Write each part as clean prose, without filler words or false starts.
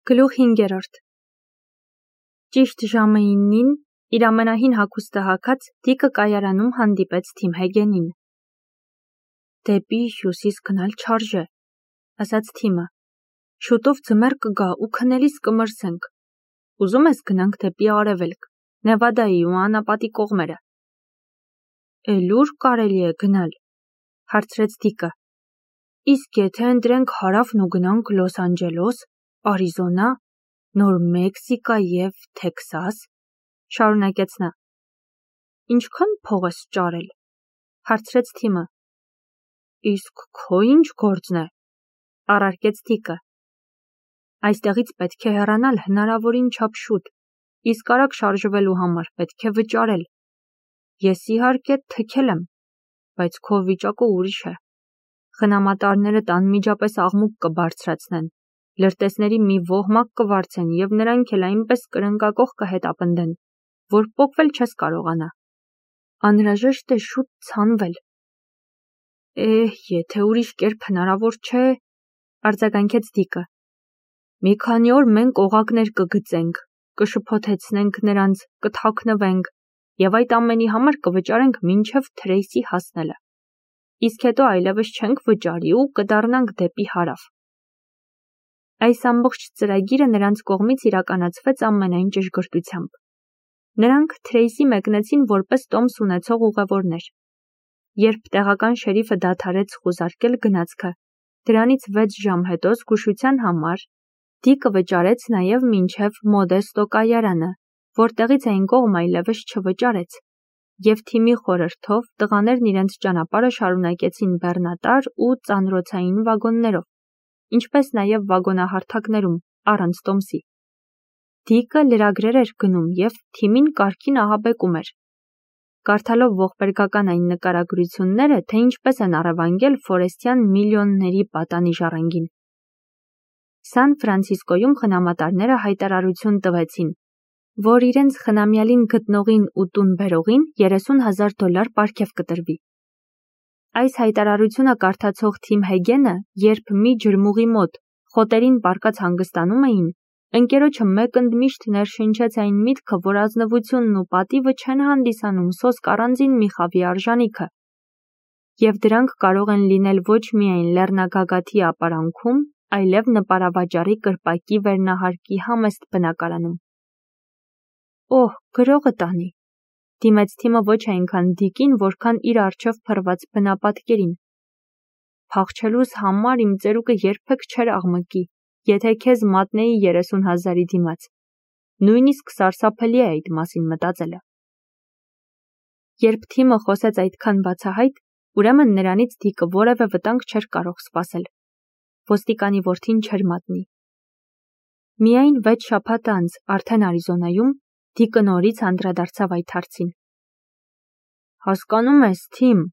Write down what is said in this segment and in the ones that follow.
Գլուխ 5. Ճիշտ ժամը 9-ին իր ամենահին հագուստը հագած Դիկը կայարանում հանդիպեց Թիմ Հեգենին։ Դեպի հյուսիս գնալ չարժե, ասաց Թիմը։ Շուտով ձմեռ կգա ու քնելիս կմրսենք։ Ուզում ես գնանք դեպի արևելք, Նևադայի ու անապատի կողմերը։ Էլ ուր կարելի է գնալ, հարցրեց Դիկը։ Իսկ եթե ընտրենք հարավն ու գնանք Լոս Անջելոս, Արիզոնա, Նոր Մեքսիկա և Թեքսաս, շարունակեց նա։ Ինչքան փող ես ճարել, հարցրեց Թիմը։ Իսկ քո ինչ գործն է, առարկեց Դիկը։ Այստեղից պետք է հեռանալ հնարավորին չափ շուտ, իսկ արագ շարժվելու համար պետք է վճարել։ Ես իհարկե թքել եմ, բայց քո վիճակը ուրիշ է։ Խնամատարներդ անմիջապես աղմուկ կբարձրացնեն, լրտեսների մի ոհմակ կվարձեն և նրանք էլ այնպես կրնկակոխ կհետապնդեն, որ պոկվել չես կարողանա։ Անհրաժեշտ է շուտ ցանվել։ Եթե ուրիշ կերպ հնարավոր չէ, արձագանքեց Դիկը։ Մի քանի օր մենք օղակներ կգծենք, կշփոթեցնենք նրանց, կթաքնվենք և այդ ամենի համար կվճարենք մինչև Թրեյսի հասնելը։ Իսկ հետո այլևս չենք վճարի ու կդառնանք դեպի հարավ։ Այս ամբողջ ծրագիրը նրանց կողմից իրականացվեց ամենայն ճշգրտությամբ։ Նրանք Թրեյսի մեկնեցին որպես տոմս ունեցող ուղևորներ։ Երբ տեղական շերիֆը դադարեց խուզարկել գնացքը, դրանից 6 ժամ հետո զգուշության համար Դիկը վճարեց նաև մինչև Մոդեստո կայարանը, որտեղից այն կողմ այլևս չվճարեց, և Թիմի խորհրդով տղաներն իրենց ճանապարհը շարունակեցին բեռնատար ու ծանրոցային վագոններով, ինչպես նաև վագոնահարթակներում, առանց տոմսի։ Դիկը լրագրեր էր գնում և Թիմին կարգին ահաբեկում էր։ Կարդալով ողբերգական այն նկարագրությունները, թե ինչպես են առևանգել Ֆորեստյան միլիոնների պատանի ժառանգին։ Սան Ֆրանցիսկոյում խնամատարները հայտարարություն տվեցին, որ իրենց խնամյալին գտնողին ու տուն բերողին $30,000 պարգև կտրվի։ Այս հայտարարությունը կարդացող Թիմ Հեգենը, երբ մի ջրմուղի մոտ խոտերին պառկած հանգստանում էին, ընկերոջը մեկ ընդմիշտ ներշնչեց այն միտքը, որ ազնվությունն ու պատիվը չեն հանդիսանում սոսկ առանձին մի խավի արժանիքը, և դրանք կարող են լինել ոչ միայն լեռնագագաթի ապարանքում, այլև նպարավաճառի կրպակի վերնահարկի համեստ բնակարանում։ Գրողը տանի, դիմեց Թիմը ոչ այնքան Դիկին, որքան իր առջև փռված բնապատկերին։ Փախչելուս համար իմ ծերուկը երբեք չէր աղմկի, եթե քեզ մատնեի 30,000-ի դիմաց։ Նույնիսկ սարսափելի է այդ մասին մտածելը։ Երբ Թիմը խոսեց այդքան բացահայտ, ուրեմն նրանից Դիկը որևէ վտանգ չէր կարող սպասել։ Ոստիկանի որդին չէր մատնի։ Միայն 6 շաբաթ անց, արդեն Արիզոնայում, Դիկը նորից անդրադարձավ այդ հարցին։ Հասկանում ես, Թիմ,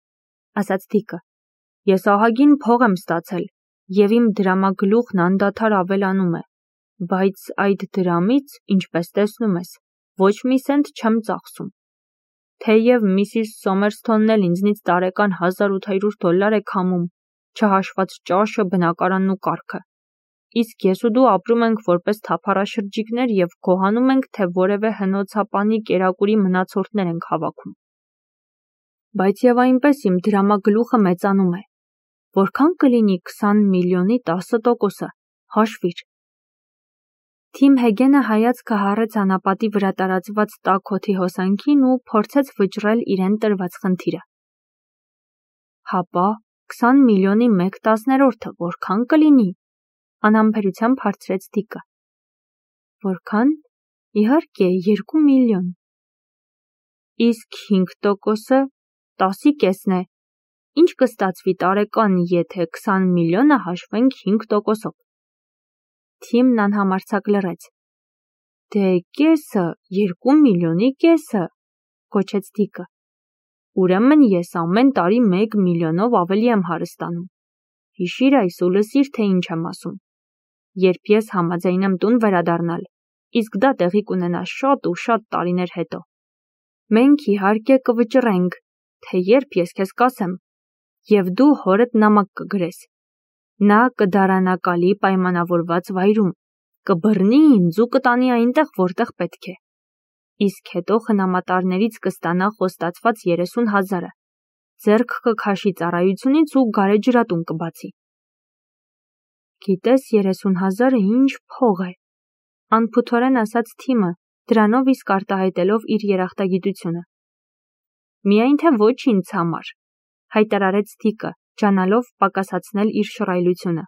ասաց Դիկը, ես ահագին փող եմ ստացել, և իմ դրամագլուխն անդադար ավելանում է, բայց այդ դրամից, ինչպես տեսնում ես, ոչ մի սենտ չեմ ծախսում։ Թեև Միսիս Սոմերսթոնն էլ ինձնից տարեկան $1,800 է քամում, չհաշված ճաշը, բնակարանն ու կառքը։ Իսկ ես ու դու ապրում ենք որպես թափառաշրջիկներ և գոհանում ենք, թե որևէ հնոցապանի կերակուրի մնացորդներ ենք հավաքում։ Բայց և այնպես իմ դրամագլուխը մեծանում է։ Որքան կլինի 20 միլիոնի 10%-ը, հաշվիր։ Թիմ Հեգենը հայացքը հառեց անապատի վրա տարածված տաք օդի հոսանքին ու փորձեց վճռել իրեն տրված խնդիրը։ Հապա 20 միլիոնի 1/10-ը որքան կլինի, անհամբերությամբ հարցրեց Դիկը։ Որքան, իհարկե, 2 միլիոն։ Իսկ 5%-ը 10-ի կեսն է։ Ինչ կստացվի տարեկան, եթե 20 միլիոնը հաշվենք 5%-ով։ Թիմն անհամարձակ լռեց։ Դե կեսը, 2 միլիոնի կեսը, գոչեց Դիկը։ Ուրեմն ես ամեն տարի 1 միլիոնով ավելի եմ հարստանում։ Հիշիր այս ու լսիր, թե ինչ եմ ասում։ Երբ ես համաձայն եմ տուն վերադառնալ, իսկ դա տեղի կունենա շատ ու շատ տարիներ հետո, մենք իհարկե կվճռենք, թե երբ ես քեզ կասեմ, և դու հորդ նամակ կգրես։ Նա կդարանակալի պայմանավորված վայրում, կբռնի ինձ ու կտանի այնտեղ, որտեղ պետք է։ Իսկ հետո խնամատարներից կստանա խոստացված 30,000-ը, ձեռք կքաշի ծառայությունից ու գարեջրատուն կբացի։ Գիտես 30,000-ը ինչ փող է, անփութորեն ասաց Թիմը, դրանով իսկ արտահայտելով իր երախտագիտությունը։ Միայն թե ոչ ինձ համար, հայտարարեց Դիկը, ջանալով պակասացնել իր շռայլությունը։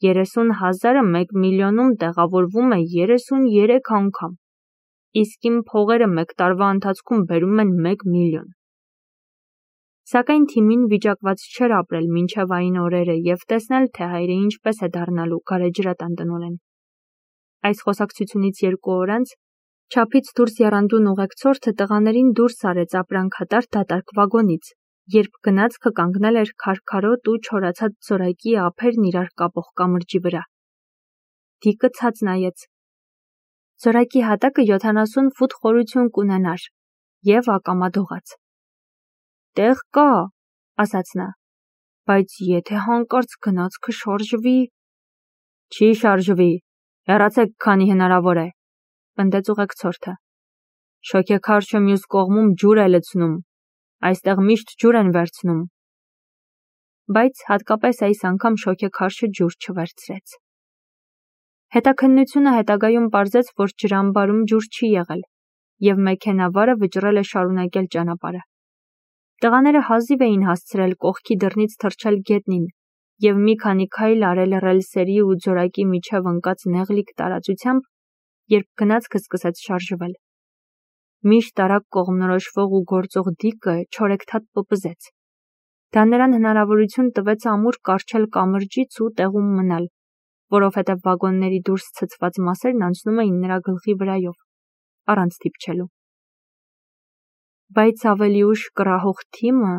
30,000-ը 1 միլիոնում տեղավորվում է 33 անգամ, իսկ իմ փողերը մեկ տարվա ընթացքում բերում են 1 միլիոն։ Սակայն Թիմին վիճակված չէր ապրել մինչև այն օրերը և տեսնել, թե հայրը ինչպես է դառնալու գարեջրատան տնօրեն։ Այս խոսակցությունից 2 օր անց չափից դուրս եռանդուն ուղեկցորդը տղաներին դուրս արեց ապրանքատար դատարկ վագոնից, երբ գնացքը կանգնել էր քարքարոտ ու չորացած զորակի ափերն իրար կապող կամրջի վրա։ Դիկը ցած նայեց։ Զորակի հատակը 70 ֆուտ խորություն կունենար և ակամա դողաց։ Տեղ կա, ասաց նա, բայց եթե հանկարծ գնացքը շարժվի… Չի շարժվի, հեռացեք, քանի հնարավոր է, պնդեց ուղեկցորդը։ Շոգեքարշը մյուս կողմում ջուր է լցնում, այստեղ միշտ ջուր են վերցնում։ Բայց հատկապես այս անգամ շոգեքարշը ջուր չվերցրեց։ Հետաքննությունը հետագայում պարզեց, որ ջրամբարում ջուր չի եղել, և մեքենավարը վճռել է շարունակել ճանապարհը։ Տղաները հազիվ էին հասցրել կողքի դռնից թռչել գետնին և մի քանի քայլ արել ռելսերի ու ձորակի միջև ընկած նեղլիկ տարածությամբ, երբ գնացքը սկսեց շարժվել։ Միշտ արագ կողմնորոշվող ու գործող Դիկը չորեքթաթ պպզեց։ Դա նրան հնարավորություն տվեց ամուր կառչել կամրջից ու տեղում մնալ, որովհետև վագոնների դուրս ցցված մասերն անցնում էին նրա գլխի վրայով, առանց դիպչելու։ Բայց ավելի ուշ կռահող Թիմը,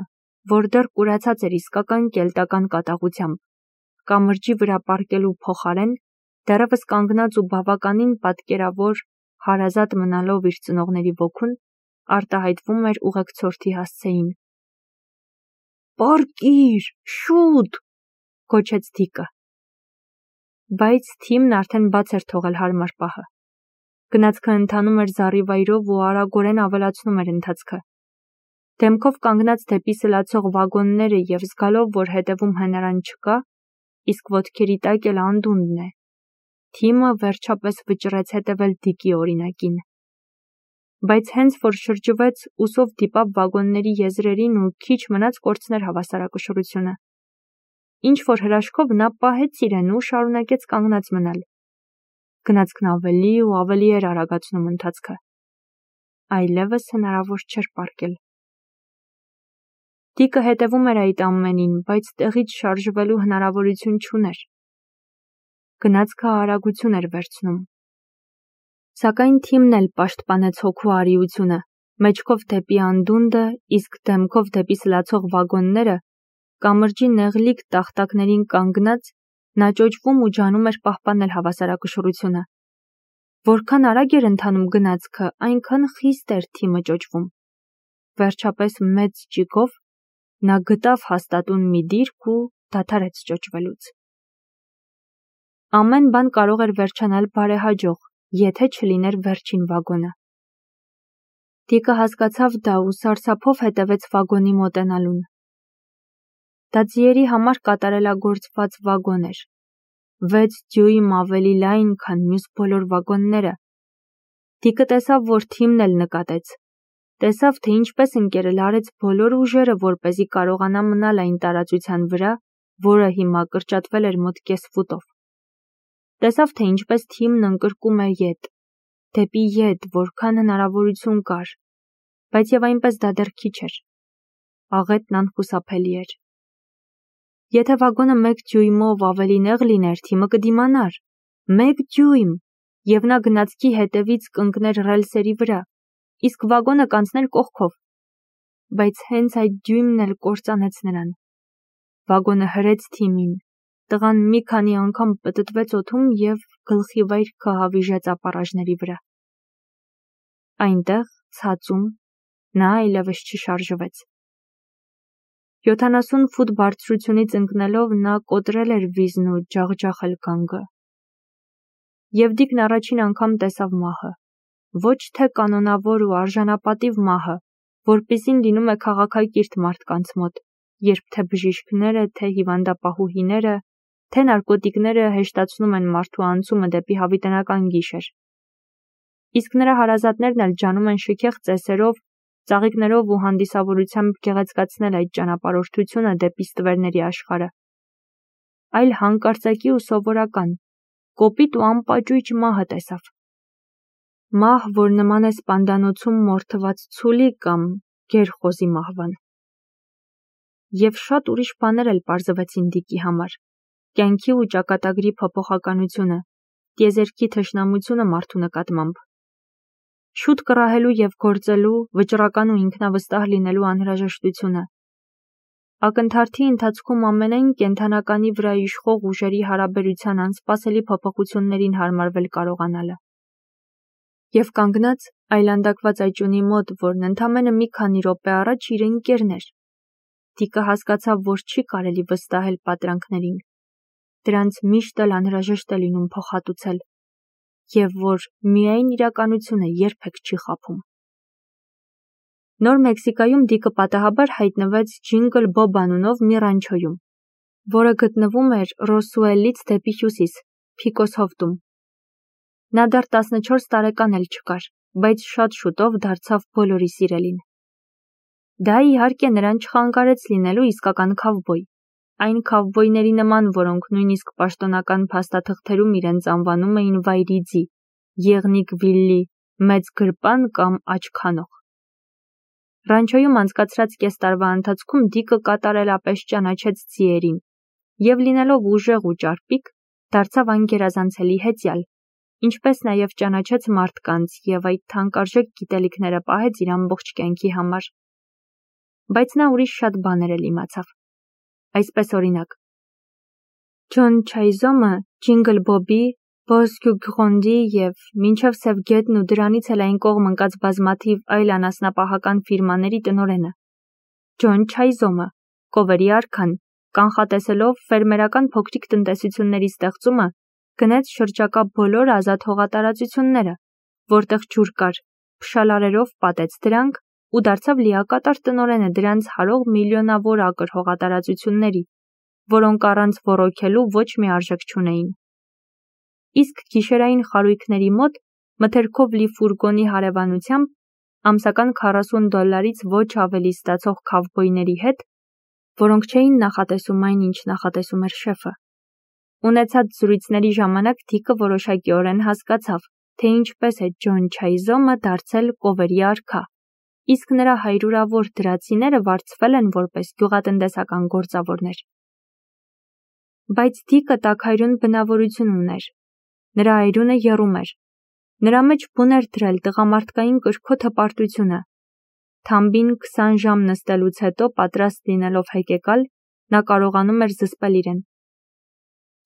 որ դեռ կուրացած էր իսկական կելտական կատաղությամբ, կամրջի վրա պառկելու փոխարեն, դեռևս կանգնած ու բավականին պատկերավոր հարազատ մնալով իր ծնողների ոգուն, արտահայտվում էր ուղեկցորդի հասցեին։ Պառկիր, շուտ, գոչեց Դիկը։ Բայց Թիմն արդեն բաց էր թողել հարմար պահը։ Գնացքը ընթանում էր զառիվայրով ու արագորեն ավելացնում էր ընթացքը։ Դեմքով կանգնած դեպի սլացող վագոնները և զգալով, որ հետևում հենարան չկա, իսկ ոտքերի տակ էլ անդունդն է, Թիմը վերջապես վճռեց հետևել Դիկի օրինակին։ Բայց հենց որ շրջվեց, ուսով դիպավ վագոնների եզրերին ու քիչ մնաց կորցներ հավասարակշռությունը։ Ինչ-որ հրաշքով նա պահեց իրեն ու շարունակեց կանգնած մնալ։ Գնացքն ավելի ու ավելի էր արագացնում ընթացքը։ Այլևս հնարավոր չէր պառկել։ Դիկը հետևում էր այդ ամենին, բայց տեղից շարժվելու հնարավորություն չուներ։ Գնացքը արագություն էր վերցնում։ Սակայն Թիմն էլ պաշտպանեց հոգու արիությունը, մեջքով դեպի անդունդը, իսկ դեմքով դեպի սլացող վագոնները, կամրջի նեղլիկ տախտակներին կանգնած, նա ճոճվում ու ջանում էր պահպանել հավասարակշռությունը։ Որքան արագ էր ընթանում գնացքը, այնքան խիստ էր Թիմը ճոճվում։ Վերջապես մեծ ճիգով նա գտավ հաստատուն մի դիրք ու դադարեց ճոճվելուց։ Ամեն բան կարող էր վերջանալ բարեհաջող, եթե չլիներ վերջին վագոնը։ Դիկը հասկացավ դա ու սարսափով հետևեց վագոնի մոտենալուն։ Դա ձիերի համար կատարելագործված վագոն էր, 6 դյույմ ավելի լայն, քան մյուս բոլոր վագոնները։ Դիկը տեսավ, որ Թիմն էլ նկատեց։ Տեսավ, թե ինչպես ընկերը լարեց բոլոր ուժերը, որպեսզի կարողանա մնալ այն տարածության վրա, որը հիմա կրճատվել էր մոտ կես ֆուտով։ Տեսավ, թե ինչպես Թիմն ընկրկում է ետ, դեպի ետ, որքան հնարավորություն կար, բայց և այնպես դա դեռ քիչ էր։ Աղետն անխուսափելի էր։ Եթե վագոնը 1 դյույմով ավելի նեղ լիներ, Թիմը կդիմանար։ 1 դյույմ, և նա գնացքի հետևից կընկներ ռելսերի վրա, իսկ վագոնը կանցներ կողքով։ Բայց հենց այդ դյույմն էլ կործանեց նրան։ Վագոնը հրեց Թիմին, տղան մի քանի անգամ պտտվեց օդում և գլխիվայր քահավիժեց ապառաժների վրա։ Այնտեղ, ցածում, նա այլևս չշարժվեց։ 70 ֆուտ բարձրությունից ընկնելով նա կոտրել էր վիզն ու ջախջախել գանգը։ Եվ Դիկն առաջին անգամ տեսավ մահը, ոչ թե կանոնավոր ու արժանապատիվ մահը, որպիսին լինում է քաղաքակիրթ մարդկանց մոտ, երբ թե բժիշկները, թե հիվանդապահուհիները, թե նարկոտիկները հեշտացնում են մարդու անցումը դեպի հավիտենական գիշեր։ Իսկ նրա հարազատներն էլ ջանում են շքեղ ծեսերով, ծաղիկներով ու հանդիսավորությամբ գեղեցկացնել այդ ճանապարհորդությունը դեպի ստվերների աշխարհը։ Այլ հանկարծակի ու սովորական, կոպիտ ու անպաճույճ մահը տեսավ։ Մահ, որ նման է սպանդանոցում մորթված ցուլի կամ գերխոզի մահվան։ Եվ շատ ուրիշ բաներ էլ պարզվեցին Դիկի համար. կյանքի ու ճակատագրի փոփոխականությունը, տիեզերքի թշնամությունը մարդու նկատմամբ, շուտ կռահելու և գործելու, վճռական ու ինքնավստահ լինելու անհրաժեշտությունը, ակնթարթի ընթացքում ամենայն կենդանականի վրա իշխող ուժերի հարաբերության անսպասելի փոփոխություններին հարմարվել կարողանալը։ Եվ կանգնած այլանդակված այճունի մոտ, որն ընդամենը մի քանի րոպե առաջ իր ընկերն էր, Դիկը հասկացավ, որ չի կարելի վստահել պատրանքներին, դրանց միշտ էլ անհրաժեշտ է լինում փոխհատուցել, և որ միայն իրականությունը երբեք չի խաբում։ Նոր Մեքսիկայում Դիկը պատահաբար հայտնվեց Ջինգլ Բոբ անունով մի ռանչոյում, որը գտնվում էր Ռոսուելից դեպի հյուսիս, Փիկոս հովտում։ Նա դեռ 14 տարեկան էլ չկար, բայց շատ շուտով դարձավ բոլորի սիրելին։ Դա իհարկե նրան չխանգարեց լինելու իսկական քավբոյ, այն քավբոյների նման, որոնք նույնիսկ պաշտոնական փաստաթղթերում իրենց անվանում էին վայրիձի, եղնիկ վիլլի, մեծ գրպան կամ աչքանող։ Ռանչոյում անցկացրած կես տարվա ընթացքում Դիկը կատարելապես ճանաչեց ձիերին և լինելով ուժեղ ու ճարպիկ, դարձավ անգերազանցելի հեծյալ, ինչպես նաև ճանաչեց մարդկանց և այդ թանկարժեք գիտելիքները պահեց իր ամբողջ կյանքի համար։ Բայց նա ուրիշ շատ բաներ էլ իմացավ։ Այսպես օրինակ, Ջոն Չայզոմը Ջինգլ Բոբի, Բոսկյուգրոնդի և մինչև Սև գետն ու դրանից էլ այն կողմ ընկած բազմաթիվ այլ անասնապահական ֆիրմաների տնօրենը։ Ջոն Չայզոմը, Կովերի արքան, կանխատեսելով ֆերմերական փոքրիկ տնտեսությունների ստեղծումը, գնեց շրջակա բոլոր ազատ հողատարածությունները, որտեղ ջուր կար, փշալարերով պատեց դրանք ու դարձավ լիակատար տնօրենը դրանց հարող միլիոնավոր ակր հողատարածությունների, որոնք առանց ոռոգելու ոչ մի արժեք չունեին։ Իսկ գիշերային խարույկների մոտ մթերքով լի ֆուրգոնի հարևանությամբ ամսական $40 ոչ ավելի ստացող քավբոյների հետ, որոնք չէին նախատեսում այն, ինչ նախատեսում էր շեֆը։ Ունեցած զրույցների ժամանակ Դիկը որոշակիորեն հասկացավ, թե ինչպես է Ջոն Չայզոմը դարձել Կովերի արքա, իսկ նրա հայրուրավոր դրացիները վարձվել են որպես գյուղատնտեսական գործավորներ։ Բայց Դիկը տաքայրուն բնավորություն ուներ։ Նրա այրունը եռում էր։ Նրա մեջ բուն էր դրել տղամարդկային կրքոտ հպարտությունը։ Թամբին 20 ժամ նստելուց հետո պատրաստ լինելով հեկեկալ, նա կարողանում էր զսպել իրեն։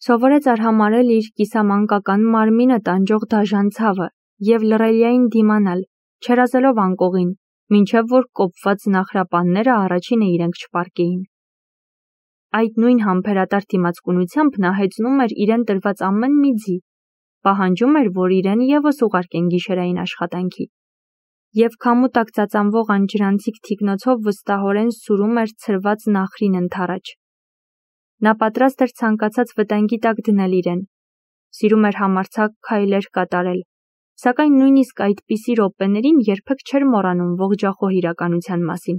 Սովորեց արհամարհել իր կիսամանկական մարմինը տանջող դաժան ցավը և լռելիային դիմանալ, չերազելով անկողին, մինչև որ կոպված նախրապանները առաջինը իրենք չպառկեին։ Այդ նույն համբերատար դիմացկունությամբ նա հեծնում էր իրեն տրված ամեն մի ձի, պահանջում էր, որ իրեն ևս ուղարկեն գիշերային աշխատանքի, և քամու տակ ծածանվող անջրանցիկ թիկնոցով վստահորեն սուրում էր ցրված նախրին ընդառաջ։ Նա պատրաստ էր ցանկացած վտանգի տակ դնել իրեն, սիրում էր համարձակ քայլեր կատարել, սակայն նույնիսկ այդպիսի րոպեներին երբեք չէր մոռանում ողջախոհ իրականության մասին։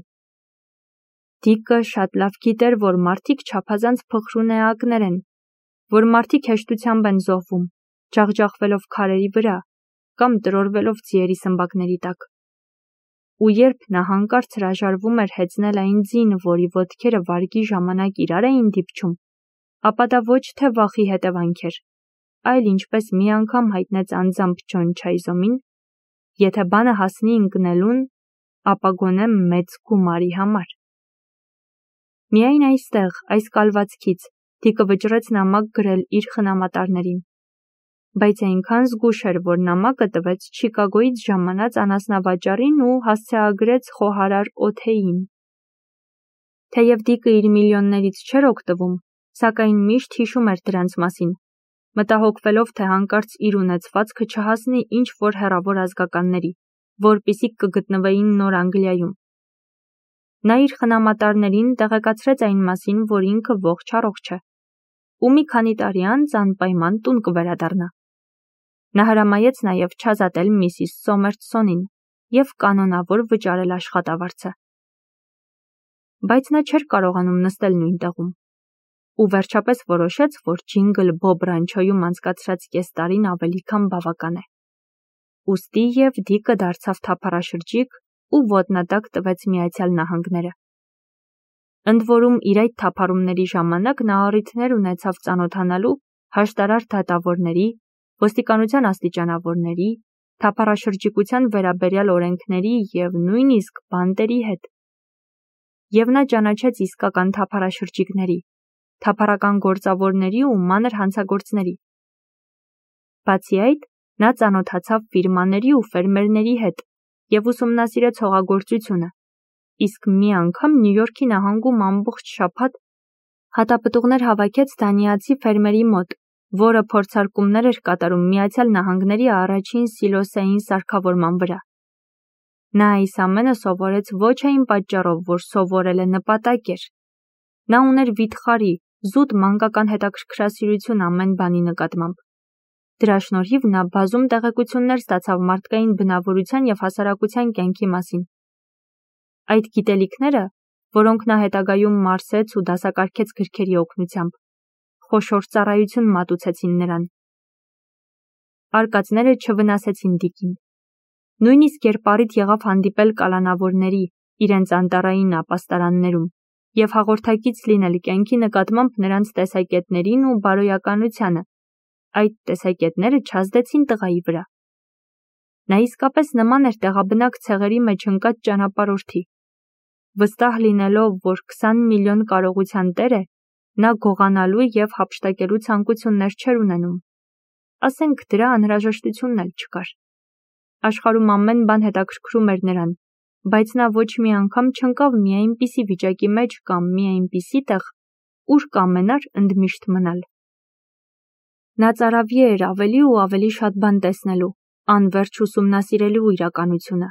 Դիկը շատ լավ գիտեր, որ մարդիկ չափազանց փխրուն էակներ են, որ մարդիկ հեշտությամբ են զոհվում, ջախջախվելով քարերի վրա կամ տրորվելով ձիերի սմբակների տակ։ Ու երբ նա հանկարծ հրաժարվում էր հեծնել այն ձին, որի ոտքերը վարգի ժամանակ իրար էին դիպչում, ապա դա ոչ թե վախի հետևանք էր, այլ ինչպես մի անգամ հայտնեց անձամբ Ջոն Չայզոմին, եթե բանը հասնի ընկնելուն, ապա գոնե մեծ գումարի համար։ Միայն այստեղ, այս կալվածքից, Դիկը վճռեց նամակ գրել իր խնամատարներին, բայց այնքան զգույշ էր, որ նամակը տվեց Չիկագոյից ժամանած անասնավաճառին ու հասցեագրեց խոհարար Օթեին։ Թեև Դիկը իր միլիոններից չէր օգտվում, սակայն միշտ հիշում էր դրանց մասին, մտահոգվելով, թե հանկարծ իր ունեցվածքը չհասնի ինչ-որ հեռավոր ազգականների, որպիսիք կգտնվեին Նոր Անգլիայում։ Նա իր խնամատարներին տեղեկացրեց այն մասին, որ ինքը ողջ-առողջ է, ու մի քանի տարի անց անպայման տուն կվերադառնա։ Նա հրամայեց նաև չազատել Միսիս Սոմերսոնին և կանոնավոր վճարել աշխատավարձը։ Բայց նա չէր կարողանում նստել նույն տեղում, ու վերջապես որոշեց, որ Ջինգլ Բոբ Ռանչոյում անցկացրած կես տարին ավելի քան բավական է։ Ուստի և Դիկը դարձավ թափառաշրջիկ ու ոտնատակ տվեց Միացյալ Նահանգները։ Ընդ որում իր այդ թափառումների ժամանակ նա առիթներ ունեցավ ծանոթանալու հաշտարար դատավորների, ոստիկանության աստիճանավորների, թափառաշրջիկության վերաբերյալ օրենքների և նույնիսկ բանտերի հետ։ Եվ նա ճանաչեց իսկական թափառաշրջիկների, թափառական գործավորների ու մանր հանցագործների։ Բացի այդ, նա ծանոթացավ ֆիրմաների ու ֆերմերների հետ և ուսումնասիրեց հողագործությունը, իսկ մի անգամ Նյու Յորքի նահանգում ամբողջ շաբաթ հատապտուղներ հավաքեց դանիացի ֆերմերի մոտ, որը փորձարկումներ էր կատարում Միացյալ Նահանգների առաջին սիլոսային սարքավորման վրա։ Նա այս ամենը սովորեց ոչ այն պատճառով, որ սովորելը նպատակ էր։ Նա ուներ վիթխարի, զուտ մանկական հետաքրքրասիրություն ամեն բանի նկատմամբ։ Դրա շնորհիվ նա բազում տեղեկություններ ստացավ մարդկային բնավորության և հասարակության կյանքի մասին։ Այդ գիտելիքները, որոնք նա հետագայում մարսեց ու դասակարգեց գրքերի օգնությամբ, խոշոր ծառայություն մատուցեցին նրան։ Արկածները չվնասեցին Դիկին։ Նույնիսկ երբ առիթ եղավ հանդիպել կալանավորների իրենց անտառային ապաստարաններում և հաղորդակից լինել կյանքի նկատմամբ նրանց տեսակետներին ու բարոյականությանը, այդ տեսակետները չազդեցին տղայի վրա։ Նա իսկապես նման էր տեղաբնակ ցեղերի մեջ ընկած ճանապարհորդի։ Վստահ լինելով, որ 20 միլիոն կարողության տեր է, նա գողանալու և հափշտակելու ցանկություններ չէր ունենում։ Ասենք դրա անհրաժեշտությունն էլ չկար։ Աշխարհում ամեն բան հետաքրքրում էր նրան, բայց նա ոչ մի անգամ չընկավ մի այնպիսի վիճակի մեջ կամ մի այնպիսի տեղ, ուր կամենար ընդմիշտ մնալ։ Նա ծարավի էր ավելի ու ավելի շատ բան տեսնելու, անվերջ ուսումնասիրելու իրականությունը։